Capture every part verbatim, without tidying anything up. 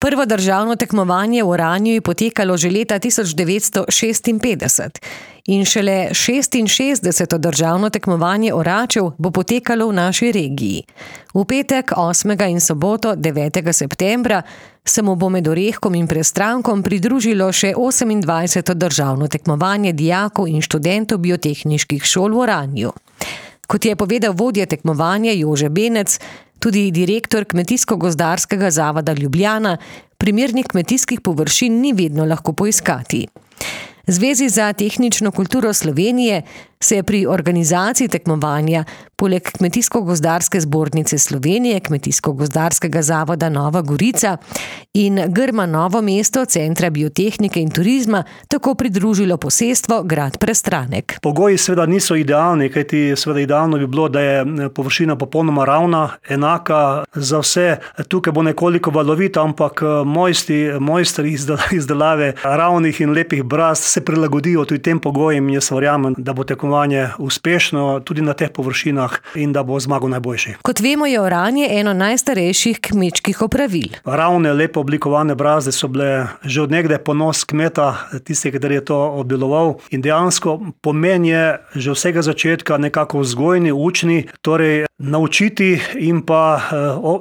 Prvo državno tekmovanje v Oranju je potekalo že leta tisoč devetsto šestinpetdeset in šele šestinšestdeseto državno tekmovanje oračev bo potekalo v naši regiji. V petek osmega in soboto devetega septembra se mu bo med Orehkom in Prestrankom pridružilo še osemindvajseto državno tekmovanje dijakov in študentov biotehniških šol v Oranju. Kot je povedal vodja tekmovanja Jože Benec, tudi direktor Kmetijsko-gozdarskega zavoda Ljubljana, primernih kmetijskih površin ni vedno lahko poiskati. Zvezi za tehnično kulturo Slovenije se je pri organizaciji tekmovanja poleg Kmetijsko-gozdarske zbornice Slovenije, Kmetijsko-gozdarskega zavoda Nova Gorica in Grma Novo mesto Centra biotehnike in turizma tako pridružilo posestvo grad Prestranek. Pogoji seveda niso idealni, kajti seveda idealno bi bilo, da je površina popolnoma ravna, enaka za vse. Tukaj bo nekoliko valovita, ampak mojstri, mojstri izdelave ravnih in lepih brazd se prilagodijo tudi tem pogojem in jaz verjamem, da bo tekmovanje uspešno tudi na teh površinah in da bo zmagal najboljši. Kot vemo, je oranje eno najstarejših kmečkih opravil. Ravne, lepo oblikovane brazde so bile že od nekdaj ponos kmeta, tisti, ki je to obdeloval, in dejansko pomen je že vsega začetka nekako vzgojni, učni, torej naučiti in pa,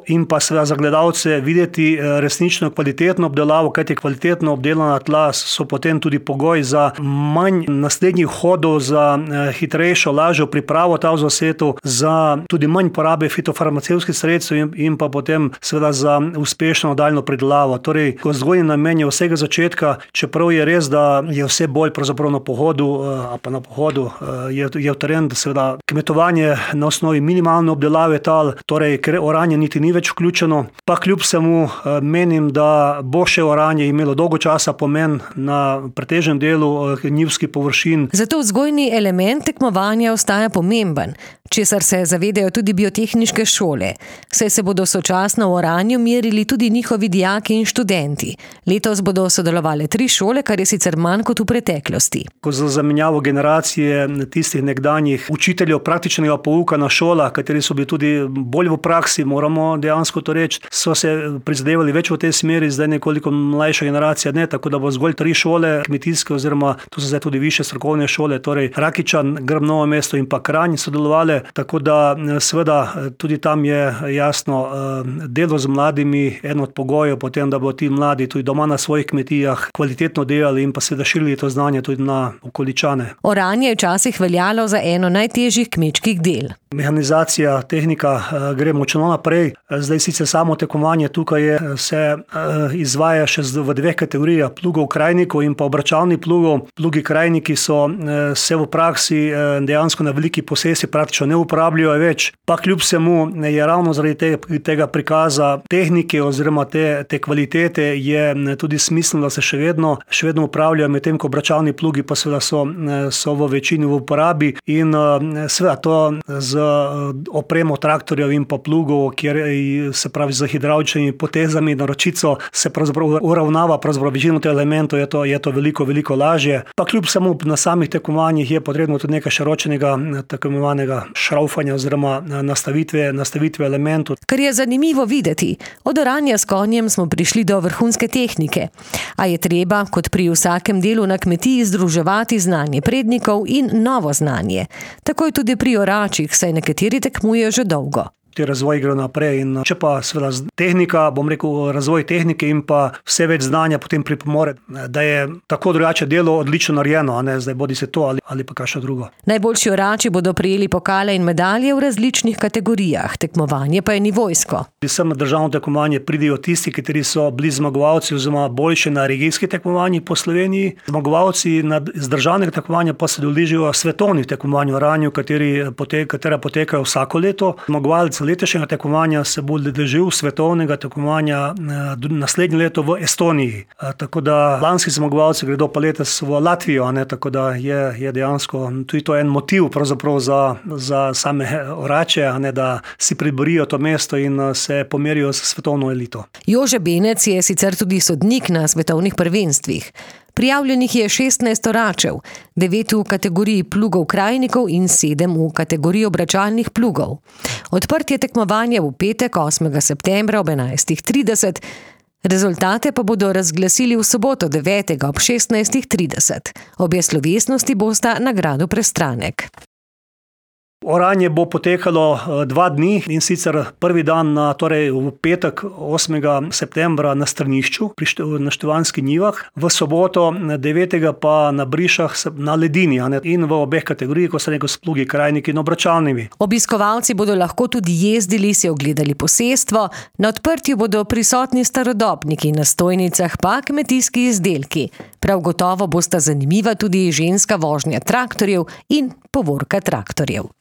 in pa seveda za gledalce videti resnično kvalitetno obdelavo, kajti kvalitetno obdelana tla so potem tudi pogoj za manj naslednjih hodov, za hitrejšo, lažjo pripravo ta v zasetu, za tudi manj porabe fitofarmacevtskih sredstev in, in pa potem seveda za uspešno nadaljnjo pridelavo. Torej, vzgojni namen je vsega začetka, čeprav je res, da je vse bolj pravzaprav na pohodu, a pa na pohodu je, je v teren, seveda kmetovanje na osnovi minimalne obdelave tal, torej ker oranje niti ni več vključeno, pa kljub vsemu menim, da bo še oranje imelo dolgo časa pomen na pretežnem delu njivskih površin. Zato vzgojni element tekmovanja ostaja pomemben, česar se zavedajo tudi biotehniške šole. Saj se bodo sočasno v Oranju merili tudi njihovi dijaki in študenti. Letos bodo sodelovale tri šole, kar je sicer manj kot v preteklosti. Ko za zamenjavo generacije tistih nekdanjih učiteljev praktičnega pouka na šolah, kateri so bili tudi bolj v praksi, moramo dejansko to reči, so se prizadevali več v tej smeri, zdaj nekoliko mlajša generacija ne, tako da bo zgolj tri šole kmetijske oziroma to so zdaj tudi više strokovne šole, torej Rakičan, Grm Novo mesto in pa Kranj sodelovale, tako da seveda tudi tam je jasno delo z mladimi eno od pogojev potem, da bo ti mladi tudi doma na svojih kmetijah kvalitetno delali in pa seveda širili to znanje tudi na okoličane. Oranje je včasih veljalo za eno najtežjih kmečkih del. Mehanizacija, tehnika gre močno naprej. Zdaj sicer samo tekmovanje tukaj je, se izvaja še v dveh kategorijah, plugov krajnikov in pa obračalnih plugov. Plugi krajniki so se v praksi dejansko na veliki posesi praktično ne uporabljajo več, pa kljub vsemu je ravno zaradi tega prikaza tehnike oziroma te, te kvalitete je tudi smiselno, da se še vedno, še vedno uporabljajo, medtem ko obračalni plugi pa seveda so, so v večini v uporabi in seveda to z opremo traktorjev in pa plugov, kjer se pravi z hidravličnimi potezami na ročico se pravzaprav uravnava pravzaprav večino teh elementov, je to, je to veliko, veliko lažje. Pa kljub samo na samih tekmovanjih je potrebno tudi nekaj širokega tako imenovanega šraufanja oziroma nastavitve, nastavitve elementov. Kar je zanimivo videti, od oranja s konjem smo prišli do vrhunske tehnike, a je treba, kot pri vsakem delu na kmetiji, združevati znanje prednikov in novo znanje. Tako je tudi pri oračih, saj nekateri tekmujejo že dolgo. Razvoj gre naprej in če pa seveda tehnika, bom rekel, razvoj tehnike in pa vse več znanja potem pripomore, da je tako drugače delo odlično narejeno, a ne zdaj bodi se to ali, ali pa kakšno drugo. Najboljši orači bodo prejeli pokale in medalje v različnih kategorijah, tekmovanje pa je nivojsko. Sem na državno tekmovanje pridejo tisti, kateri so bili zmagovalci oziroma boljši na regijskih tekmovanjih po Sloveniji. Zmagovalci z državnega tekmovanja pa se udeležijo svetovnih tekmovanj v Oranju, kateri pote, katera potekajo vsako leto. Zmagovalci letošnjega tekmovanja se bo udeležil svetovnega tekmovanja naslednje leto v Estoniji. Tako da lanski zmagovalci gredo pa letos v Latvijo, a ne, tako da je, je dejansko tudi to en motiv pravzaprav za, za same orače, a ne, da si priborijo to mesto in se pomerijo s svetovno elito. Jože Benec je sicer tudi sodnik na svetovnih prvenstvih. Prijavljenih je šestnajst oračev, devet v kategoriji plugov krajnikov in sedem v kategoriji obračalnih plugov. Odprtje tekmovanja v petek osmega septembra ob enajstih trideset Rezultate pa bodo razglasili v soboto devetega ob šestnajstih trideset. Obje slovesnosti bosta na gradu Prestranek. Oranje bo potekalo dva dni, in sicer prvi dan na, torej v petek osmega septembra na strnišču pri na Števanjskih njivah, v soboto devetega pa na Brišah na ledini, in v obeh kategorijah, ko se neko s plugi, krajniki in obračalnimi. Obiskovalci bodo lahko tudi jezdili, si ogledali posestvo, na odprtju bodo prisotni starodobniki, na stojnicah pa kmetijski izdelki. Prav gotovo bosta zanimiva tudi ženska vožnja traktorjev in povorka traktorjev.